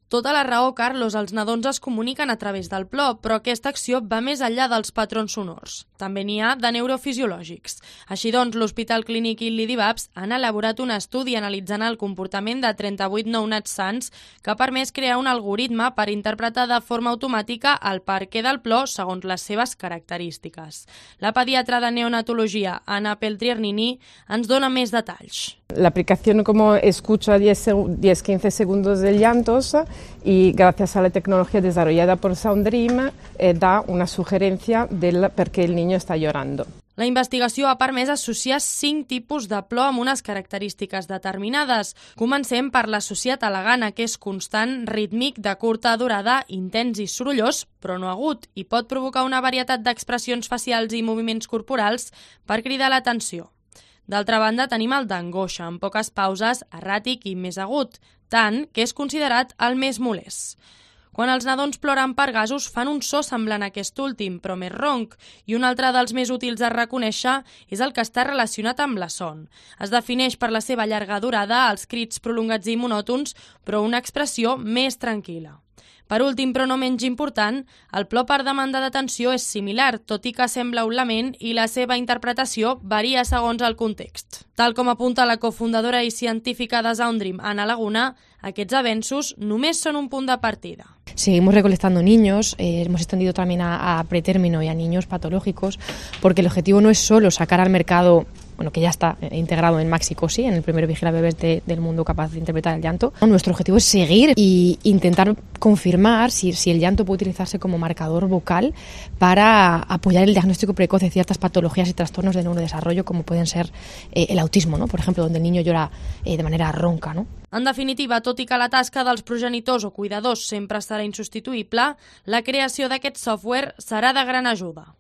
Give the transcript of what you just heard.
Tota la raó, Carlos, els nadons es comuniquen a través del plor, però aquesta acció va més enllà dels patrons sonors. També n'hi ha de neurofisiològics. Així doncs, l'Hospital Clínic Illi d'Ivars han elaborat un estudi analitzant el comportament de 38 nounats sants que ha permès crear un algoritme per interpretar de forma automàtica el perquè del plor segons les seves característiques. La pediatra de neonatologia, Anna Peltriernini, ens dona més detalls. La aplicación como escucha 10-15 segundos de llantos y gracias a la tecnología desarrollada por Soundream da una sugerencia del por qué el niño está llorando. La investigació ha permès associar 5 tipus de plor amb unes característiques determinades. Comencem per l'associat a la gana, que és constant, rítmic, de curta durada, intens i sorollós, però no agut, i pot provocar una varietat d'expressions facials i moviments corporals per cridar l'atenció. D'altra banda, tenim el d'angoixa, amb poques pauses, erràtic i més agut, tant que és considerat el més molest. Quan els nadons ploren per gasos fan un so semblant a aquest últim, però més ronc, i un altre dels més útils a reconèixer és el que està relacionat amb la son. Es defineix per la seva llarga durada, els crits prolongats i monòtons, però una expressió més tranquil·la. Per últim, però no menys important, el plor per demanda d'atenció és similar, tot i que sembla un lament i la seva interpretació varia segons el context. Tal com apunta la cofundadora i científica de Soundream, Ana Laguna, aquests avenços només són un punt de partida. Seguimos recolectando niños, hemos extendido también a pretérmino y a niños patológicos, porque el objetivo no es solo sacar al mercado, bueno, que ya está integrado en Maxicosi, en el primer vigilabebés del mundo capaz de interpretar el llanto. Nuestro objetivo es seguir e intentar confirmar si el llanto puede utilizarse como marcador vocal para apoyar el diagnóstico precoz de ciertas patologías y trastornos de neurodesarrollo, como pueden ser el autismo, ¿no? Por ejemplo, donde el niño llora de manera ronca, ¿no? En definitiva, tot i que la tasca dels progenitors o cuidadors sempre serà insubstituïble, la creació d'aquest software serà de gran ajuda.